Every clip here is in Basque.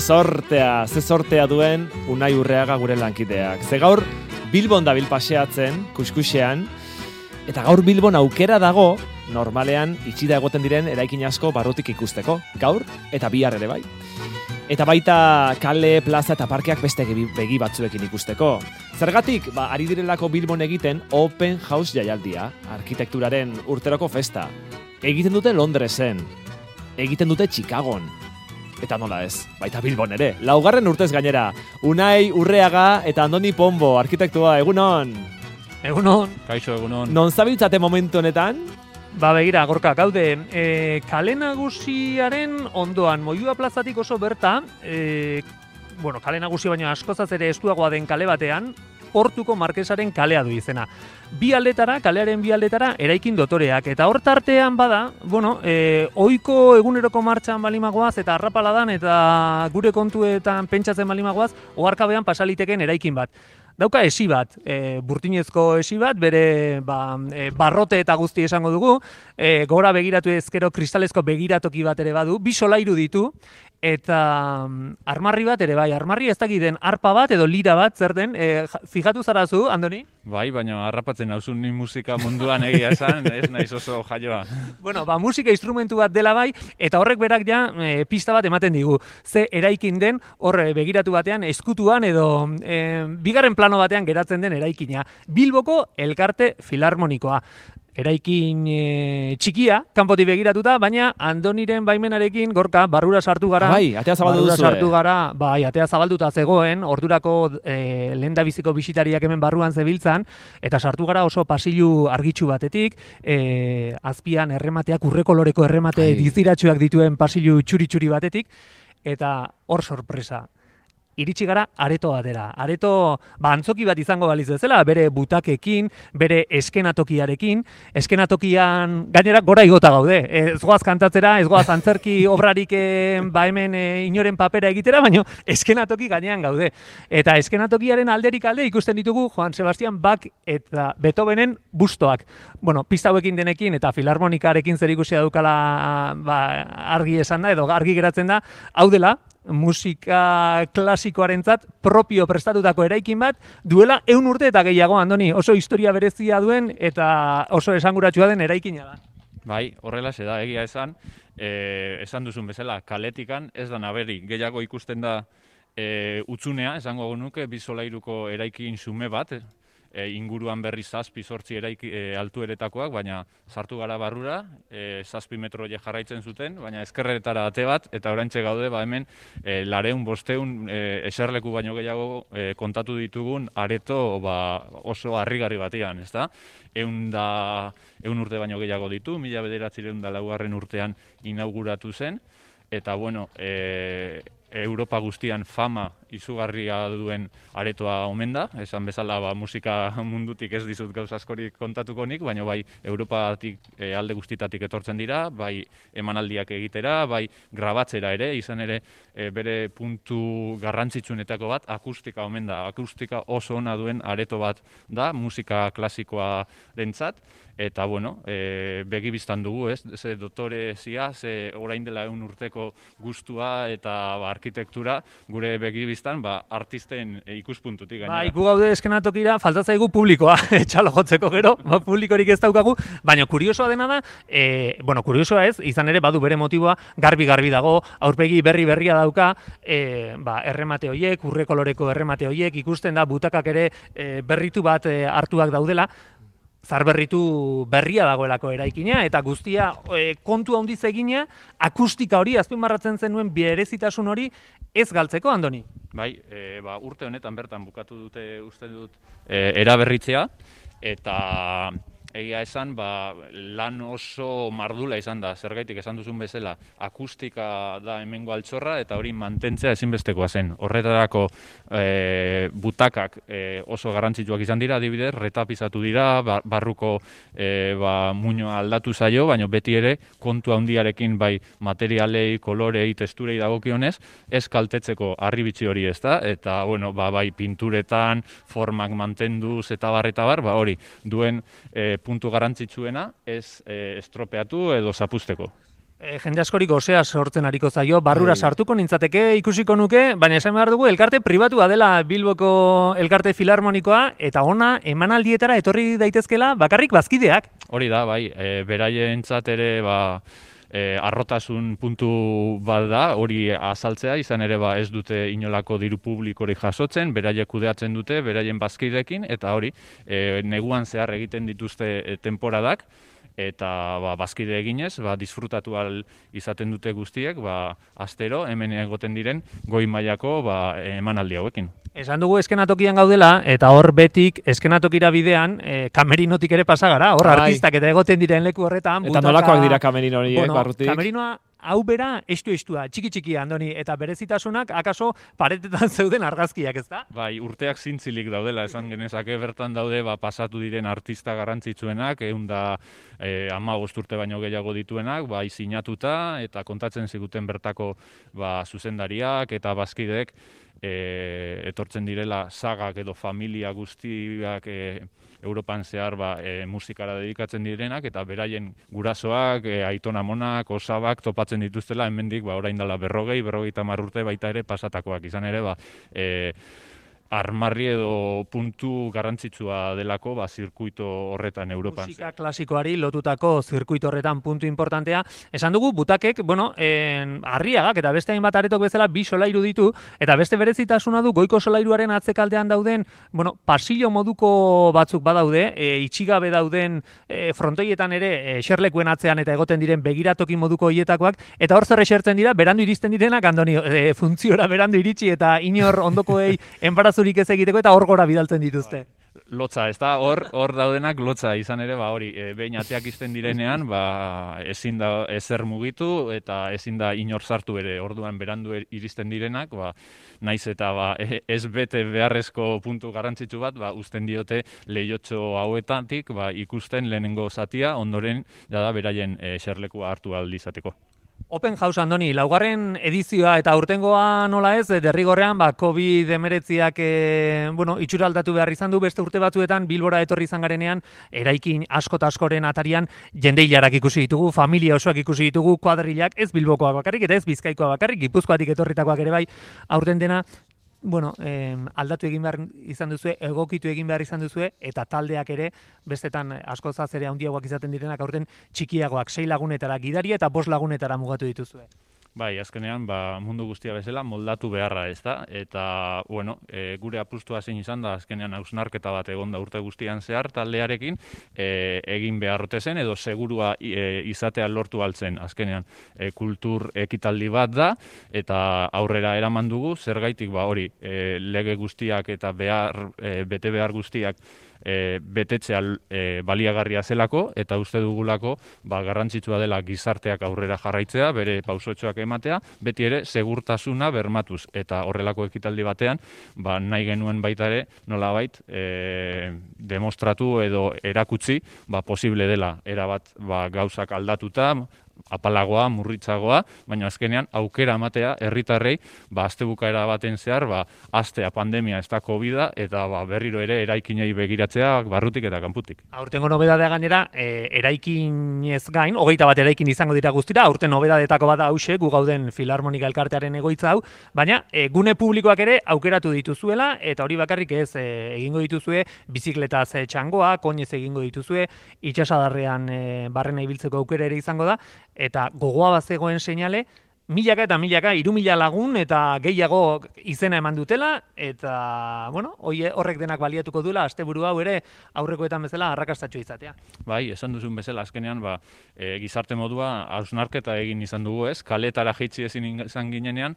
ze sortea duen Unai Urreaga gure lankideak. Ze gaur Bilbon dabil paseatzen, kuskusean, eta gaur Bilbon aukera dago, normalean itxida egoten diren eraikin asko barrutik ikusteko, gaur eta bihar ere bai. Eta baita kale, plaza eta parkeak beste begi batzuekin ikusteko. Zergatik, ari direlako Bilbon egiten Open House jaialdia, arkitekturaren urteroko festa. Egiten dute Londresen, egiten dute Chicagon, eta nola ez, baita Bilbon ere. Laugarren urtez gainera, Unai Urreaga eta Andoni Pombo, arkitektua, egunon. Egunon. Kaixo, egunon. Non zabiltzate momentu honetan? Begira, Gorka, gaude, kale nagusiaren ondoan, Moyua plazatik oso berta, kale nagusi baino askozaz ere estuagoa den kale batean, Portuko Markesaren kalea du izena. Kalearen bi aldetara eraikin dotoreak, eta hor tartean bada, ohiko eguneroko martxan balimagoaz eta arrapaladan eta gure kontuetan pentsatzen balimagoaz, oharkabean pasaliteken eraikin bat. Dauka esi bat, burtinezko esi bat, bere barrote eta guzti esango dugu, gora begiratu ezkero kristalezko begiratoki bat ere badu, bi solairu ditu, eta armarri bat ere bai, armarri ez dakiten arpa bat edo lira bat, zer den, fijatu zarazu, Andoni? Bai, baina harrapatzen nauzun ni musika munduan egia esan, ez naiz oso jaioa. Musika instrumentu bat dela bai, eta horrek berak ja pista bat ematen digu. Ze eraikin den, hor begiratu batean, eskutuan edo bigarren plano batean geratzen den eraikina. Bilboko Elkarte Filarmonikoa. Eraikin txikia, kanpotik begiratuta, baina Andoniren baimenarekin, Gorka, barrura sartu gara. Bai, atea zabaldu duzu. Atea zabalduta zegoen, ordurako lehendabiziko bisitariak hemen barruan zebiltzan, eta sartu gara oso pasilu argitsu batetik, azpian erremateak, urrekoloreko erremate diziratsuak dituen pasilu txuri-txuri batetik, eta hor sorpresa. Iritsi gara areto batera. Areto antzoki bat izango baliz bezala, bere butakekin, bere eskenatokiarekin. Eskenatokian gainera gora igota gaude. Ez goaz kantatzera, ez goaz antzerki obrarik hemen inoren papera egitera, baina eskenatoki gainean gaude. Eta eskenatokiaren alderik alde ikusten ditugu Joan Sebastian Bach eta Beethovenen bustoak. Pista hauekin denekin eta filarmonikarekin zerikusia daukala argi esan da, edo argi geratzen da, hau dela, musika klasikoarentzat propio prestatutako eraikin bat, duela 100 urte eta gehiago, Andoni, oso historia berezia duen eta oso esanguratsua den eraikina da. Bai, horrela da, egia esan, esan duzun bezala, kaletikan ez da naberi, gehiago ikusten da utzunea, esango nuke, bi solairuko eraikin xume bat, inguruan berri 7-8 altueretakoak, baina sartu gara barrura, 7 metro jarraitzen zuten, baina ezkerretara ate bat, eta oraintxe gaude hemen 400-500 eserleku baino gehiago kontatu ditugun areto oso harrigarri batean, ezta? 100 urte baino gehiago ditu, 1904 urtean inauguratu zen, eta Europa guztian fama izugarria duen aretoa omen da, esan bezala musika mundutik ez dizut gauza askorik kontatuko nik, baina bai Europatik alde guztitatik etortzen dira, bai emanaldiak egitera, bai grabatzera ere, izan ere bere puntu garrantzitsuenetako bat akustika omen da, akustika oso ona duen areto bat da, musika klasikoarentzat. Eta, begibistan dugu, ez? Ze dotorezia, ze orain dela 100 urteko gustua eta arkitektura, gure begibistan, artisten ikuspuntutik gainera. Gu gaude eskenatokira, faltatzaigu publikoa, txalo jotzeko gero, publikorik ez daukagu, baina kuriosoa dena da, kuriosoa ez, izan ere badu bere motiboa, garbi dago, aurpegi berria dauka, erremate horiek, urrekoloreko erremate horiek, ikusten da, butakak ere berritu bat hartuak daudela, zarberritu berria dagoelako eraikina, eta guztia kontu handiz egina, akustika hori, azpimarratzen zenuen berezitasun hori, ez galtzeko, Andoni? Bai, urte honetan bertan bukatu dute uste dut eraberritzea, eta egia esan, lan oso mardula izan da, zergaitik esan duzun bezala, akustika da hemengo altxorra, eta hori mantentzea ezinbestekoa zen. Horretarako butakak oso garrantzitsuak izan dira, adibidez, retapizatu dira, barruko muinoa aldatu zaio, baina beti ere kontu handiarekin bai materialei, kolorei, testurei dagokionez, ez kaltetzeko harribitxi hori ez da, eta bai pinturetan, formak mantenduz eta bar, hori duen puntu garrantzitsuena ez estropeatu edo zapusteko. jende askorik osea sortzen ariko zaio, barrura sartuko nintzateke, ikusiko nuke, baina esan behar dugu, elkarte pribatua dela Bilboko elkarte filarmonikoa, eta ona emanaldietara etorri daitezkela bakarrik bazkideak. Hori da, bai, beraientzat ere, arrotasun puntu bat da, hori azaltzea, izan ere ez dute inolako diru publikorik jasotzen, beraiek kudeatzen dute, beraien bazkideekin, eta hori, neguan zehar egiten dituzte temporadak, eta bazkide eginez, disfrutatu ahal izaten dute guztiek, astero, hemen egoten diren, goi mailako emanaldi hauekin. Esan dugu eskenatokian gaudela, eta hor betik eskenatokira bidean, kamerinotik ere pasa gara, hor artistak eta egoten diren leku horretan. Eta nolakoak dira kamerino horiek, barrutik? Kamerinoa hau bera estu-estua, txiki-txikia, Andoni, eta berezitasunak akaso paretetan zeuden argazkiak, ez da? Bai, urteak zintzilik daudela, esan genezake bertan daude pasatu diren artista garrantzitsuenak, 15 urte baino gehiago dituenak, sinatuta eta kontatzen ziguten bertako zuzendariak eta bazkideek etortzen direla sagak edo familia guztiak Europan zehar musikara dedikatzen direnak, eta beraien gurasoak, aiton-amonak, osabak topatzen dituztela, hemendik orain dela 40-50 urte baita ere pasatakoak. Izan ere, armarri edo puntu garrantzitsua delako zirkuito horretan Europan. Musika klasikoari lotutako zirkuito horretan puntu importantea. Esan dugu, butakek, Arriagak eta beste hainbat aretok bezala bi solairu ditu, eta beste berezitasuna du goiko solairuaren atzekaldean dauden, pasillo moduko batzuk badaude, itxigabe dauden frontoietan ere eserlekuen atzean eta egoten diren begiratoki moduko hietakoak, eta hor zer esertzen dira, berandu iristen direnak, Andoni, funtziora berandu iritsi eta inor ondokoei enbarazurik ez egiteko eta hor gora bidaltzen dituzte. Lotza, ez da, hor daudenak lotza, izan ere, hori, behin ateak izten direnean, ezin da ezer mugitu eta ezin da inor sartu ere, orduan berandu iristen direnak, naiz eta ez bete beharrezko puntu garrantzitsu bat, uzten diote lehiotxo hauetatik, ikusten lehenengo zatia, ondoren, beraien eserlekua hartu ahal izateko. Open House, Andoni, laugarren edizioa eta aurtengoa nola ez, derrigorrean COVID-19ak itxura aldatu behar izan du, beste urte batzuetan Bilbora etorri izan garenean, eraikin asko eta askoren atarian jende hilarak ikusi ditugu, familia osoak ikusi ditugu, kuadrilak, ez Bilbokoak bakarrik eta ez Bizkaikoa bakarrik, Gipuzkoatik etorritakoak ere bai, aurten dena, aldatu egin behar izan duzue, egokitu egin behar izan duzue, eta taldeak ere, bestetan askozaz ere handiagoak izaten direnak aurten txikiagoak 6 lagunetara gidaria eta 5 lagunetara mugatu dituzue. Bai, azkenean, mundu guztia bezala moldatu beharra, ez da? Eta, gure apustua zein izan da, azkenean hausnarketa bat egonda urte guztian zehar taldearekin, egin beharrote zen, edo segurua izatea lortu altzen, azkenean, kultur ekitaldi bat da, eta aurrera eraman dugu, zergaitik hori, lege guztiak eta bete behar guztiak betetzea baliagarria zelako, eta uste dugulako garrantzitsua dela gizarteak aurrera jarraitzea, bere pausotxoak ematea, beti ere segurtasuna bermatuz, eta horrelako ekitaldi batean, nahi genuen baita ere, nolabait, demostratu edo erakutsi, posible dela, erabat gauzak aldatuta, apalagoa, murritzagoa, baina azkenean aukera ematea herritarrei astebukaera baten zehar, astea pandemia ez da COVID-a, eta berriro ere eraikinei begiratzea barrutik eta kanputik. Aurtengo nobedadea gainera, eraikinez gain, 21 eraikin izango dira guztira, aurten nobedadetako bada hause, gu gauden Filarmonika elkartearen egoitza hau, baina gune publikoak ere aukeratu dituzuela, eta hori bakarrik ez egingo dituzue, bizikletaz txangoa, koinez egingo dituzue, itxasadarrean barrena ibiltzeko aukera ere izango da, eta gogoa bazegoen seinale, milaka eta milaka, 3.000 lagun eta gehiago izena eman dutela, eta, horrek denak baliatuko duela, asteburu hau ere aurrekoetan bezala arrakastatxo izatea. Bai, esan duzun bezala, azkenean, gizarte modua hausnarketa egin izan dugu ez, kaletara jaitsi ezin izan ginenean,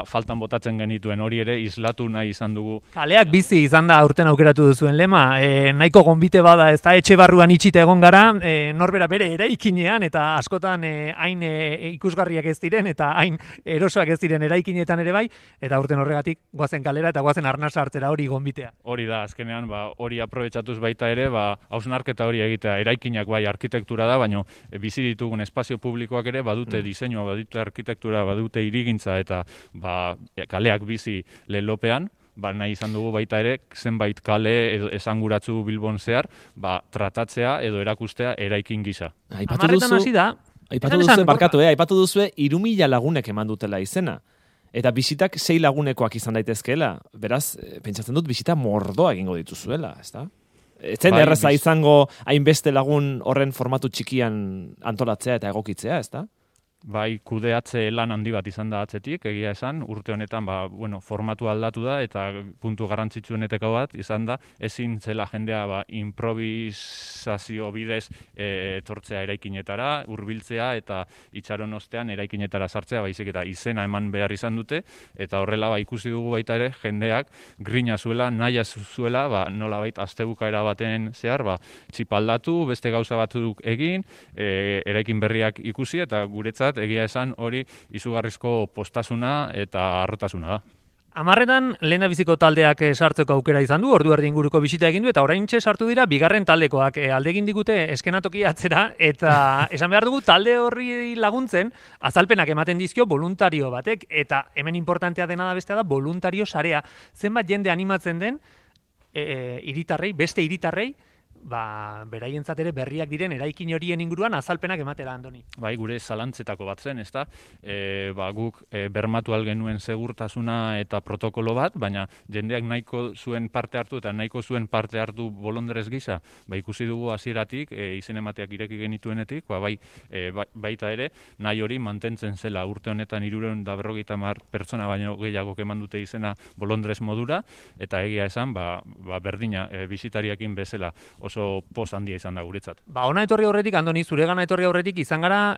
faltan botatzen genituen hori ere islatu nahi izan dugu. Kaleak bizi izan da aurten aukeratu duzuen lema, nahiko gonbite bada, ez da etxe barruan itxita egon gara, norbera bere eraikinean, eta askotan hain ikusgarriak ez diren, eta hain erosoak ez diren eraikinetan ere bai, eta aurten horregatik goazen kalera eta goazen arnasa hartzera hori gonbitea. Hori da, azkenean, hori aprobetxatuz baita ere, hausnarketa hori egitea, eraikinak bai arkitektura da, baina bizi ditugun espazio publikoak ere badute diseinua, badute arkitektura, badute hirigintza eta kaleak bizi lelopean, nahi izan dugu baita ere, zenbait kale esanguratzu Bilbon zehar, tratatzea edo erakustea eraikin gisa. Amarretan hasi da, Aipatu duzue 3.000 lagunek eman dutela izena. Eta bisitak 6 lagunekoak izan daitezkeela. Beraz, pentsatzen dut bisita mordoa egingo dituzuela, ezta? Etzen erraza izango hainbeste lagun horren formatu txikian antolatzea eta egokitzea, ezta? Bai, kudeatze lan handi bat izan da atzetik, egia esan, urte honetan formatu aldatu da eta puntu garrantzitsuenetako bat izan da, ezin zela jendea improvisazio bidez etortzea eraikinetara, hurbiltzea eta itxaron ostean eraikinetara sartzea, baizik eta izena eman behar izan dute, eta horrela ikusi dugu baita ere jendeak grina zuela, naia zuela, nolabait astebukaera baten zehar, txipaldatu, beste gauza batzuk egin, eraikin berriak ikusi eta guretzat egia esan hori izugarrizko postasuna eta harrotasuna da. 10etan lehendabiziko taldeak sartzeko aukera izan du, ordu erdi inguruko bisita egin du, eta oraintxe sartu dira bigarren taldekoak alde egin digute eskenatoki atzera, eta esan behar dugu talde horri laguntzen azalpenak ematen dizkio voluntario batek, eta hemen importantea dena da bestea da voluntario sarea. Zenbat jende animatzen den beste hiritarrei, beraientzat ere berriak diren eraikin horien inguruan azalpenak ematera, Andoni. Bai, gure zalantzetako bat zen, ezta? Guk bermatu algenuen segurtasuna eta protokolo bat, baina jendeak nahiko zuen parte hartu eta nahiko zuen parte hartu bolondrez gisa, ikusi dugu hasieratik izen emateak ireki genituenetik, baita ere, nahi hori mantentzen zela urte honetan 350 pertsona baino gehiago eman dute izena bolondrez modura, eta egia esan, berdina bisitariakin bezala oso poz handia izan da guretzat. Ona etorri horretik, Andoni, zuregana etorri horretik izan gara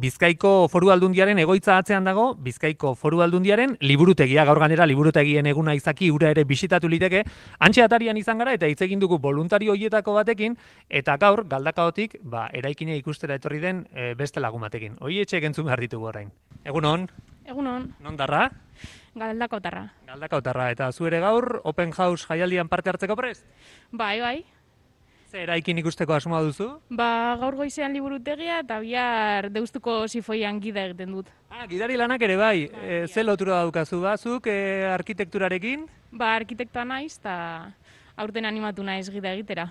Bizkaiko Foru Aldundiaren egoitza atzean dago, Bizkaiko Foru Aldundiaren liburutegia, gaur ganera liburutegien eguna izaki ura ere bisitatu liteke, antxe atarian izan gara eta hitz egin dugu voluntario hoietako batekin, eta gaur galdakaotik eraikine ikustera etorri den beste lagun batekin. Hoi etxeek entzun behar ditugu orain. Egunon? Egunon. Non darra? Galdakaotarra. Galdakaotarra, eta zu ere gaur Open House jaialdian parte hartzeko prest? Bai. Ze eraikin ikusteko asmoa duzu? Gaur goizean liburutegia eta bihar Deustuko Sifoian gida egiten dut. Gidari lanak ere bai. Ze lotura daukazu bazuk arkitekturarekin? Arkitektoa naiz eta aurten animatu naiz gida egitera.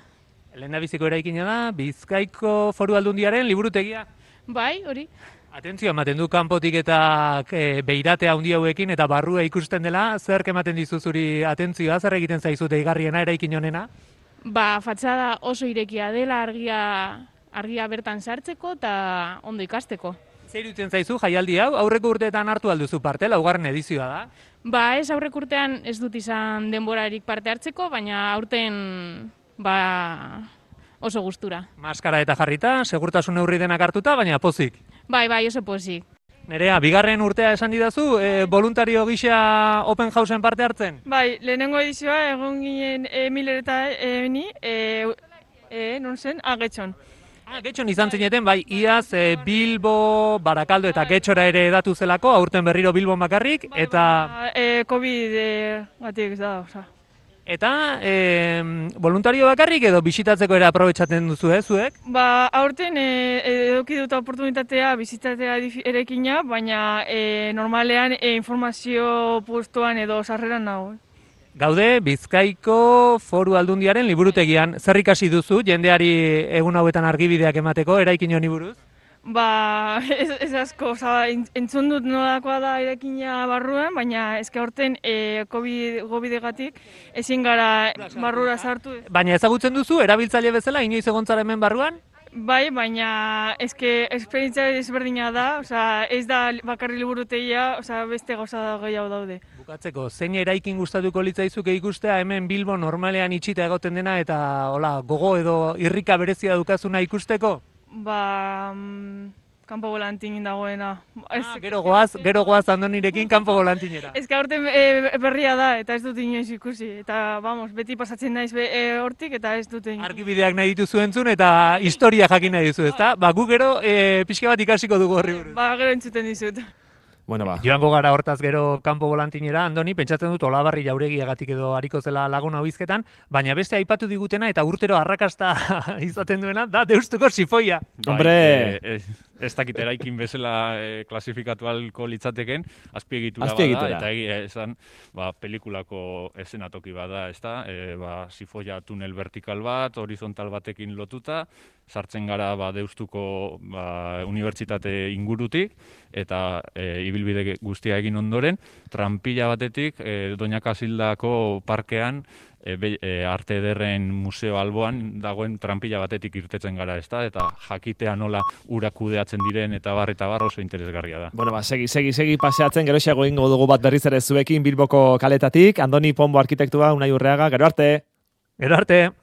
Lehendabiziko eraikina da Bizkaiko Foru Aldundiaren liburutegia. Bai, hori. Atentzio, ematen du kanpotik eta beiratea handi hauekin eta barrua ikusten dela, zerk ematen dizu zuri atentzioa, zer egiten zaizu deigarriena eraikin honena? Fatxada oso irekia dela argia bertan sartzeko eta ondo ikasteko. Zer iruditzen zaizu jaialdi hau, aurreko urteetan hartu alduzu parte, laugarren edizioa da? Ez aurreko urtean ez dut izan denborarik parte hartzeko, baina aurten oso gustura. Maskara eta jarrita, segurtasun neurri denak hartuta, baina pozik. Bai, oso pozik. Nerea, bigarren urtea esan didazu, voluntario gisa Open Houseen parte hartzen? Bai, lehenengo edizioa egon ginen Miller eta ni, non zen? Getxon. Getxon izan zineten, bai, iaz Bilbo, Barakaldo eta Getxora ere edatu zelako, aurten berriro Bilbon bakarrik, eta... COVID batik ez da, oza. Eta voluntario bakarrik edo bisitatzeko ere aprobetxatzen duzu, zuek? Aurten eduki dut oportunitatea bisitatzea erekina, baina normalean informazio postuan edo sarreran nago. Gaude, Bizkaiko Foru Aldundiaren liburutegian. Zer ikasi duzu jendeari egun hauetan argibideak emateko eraikin honi buruz? Ez asko, entzun dut nolakoa da erekina barruan, baina ezke horten COVID-egatik ezin gara barrura sartu. Baina ezagutzen duzu, erabiltzaile bezala, inoiz egontzara hemen barruan? Bai, baina esperientzia ezberdina da, ez da bakarri liburutegia, beste gauza gehiago daude. Bukatzeko, zein eraikin gustatuko litzaizuke ikustea hemen Bilbo normalean itxita egoten dena eta gogo edo irrika berezia dukazuna ikusteko? Kanpo volantin dagoena. Gero goaz Andonirekin kanpo volantinera. Ez que aurten berria da eta ez dut inoiz ikusi. Eta, beti pasatzen naiz hortik eta ez dut inoiz. Argibideak nahi dituzu entzun eta historia jakin nahi dizu, ezta? Gu gero pixka bat ikasiko dugu horri buruz. Gero entzuten dizut. Joango gara hortaz gero kanpo volantinera, Andoni, pentsatzen dut Olabarri jauregiagatik edo hariko zela lagun hau hizketan, baina beste aipatu digutena eta urtero arrakasta izaten duena, da Deustuko Sifoia. Hombre! Ez dakit eraikin bezala klasifikatu alko litzateken, azpiegitura bada, eta egia esan, pelikulako esenatoki bada, ez da, Sifoia tunel vertikal bat, horizontal batekin lotuta, sartzen gara Deustuko unibertsitate ingurutik, eta ibilbide guztia egin ondoren, tranpila batetik Doña Kasildako parkean, Arte Ederren museo alboan dagoen tranpila batetik irtetzen gara, ezta? Eta jakitea nola urak kudeatzen diren eta bar oso interesgarria da. Bueno, segi paseatzen, geroxeago egingo dugu bat berriz ere zuekin Bilboko kaletatik. Andoni Pombo arkitektua, Unai Urreaga, gero arte! Gero arte!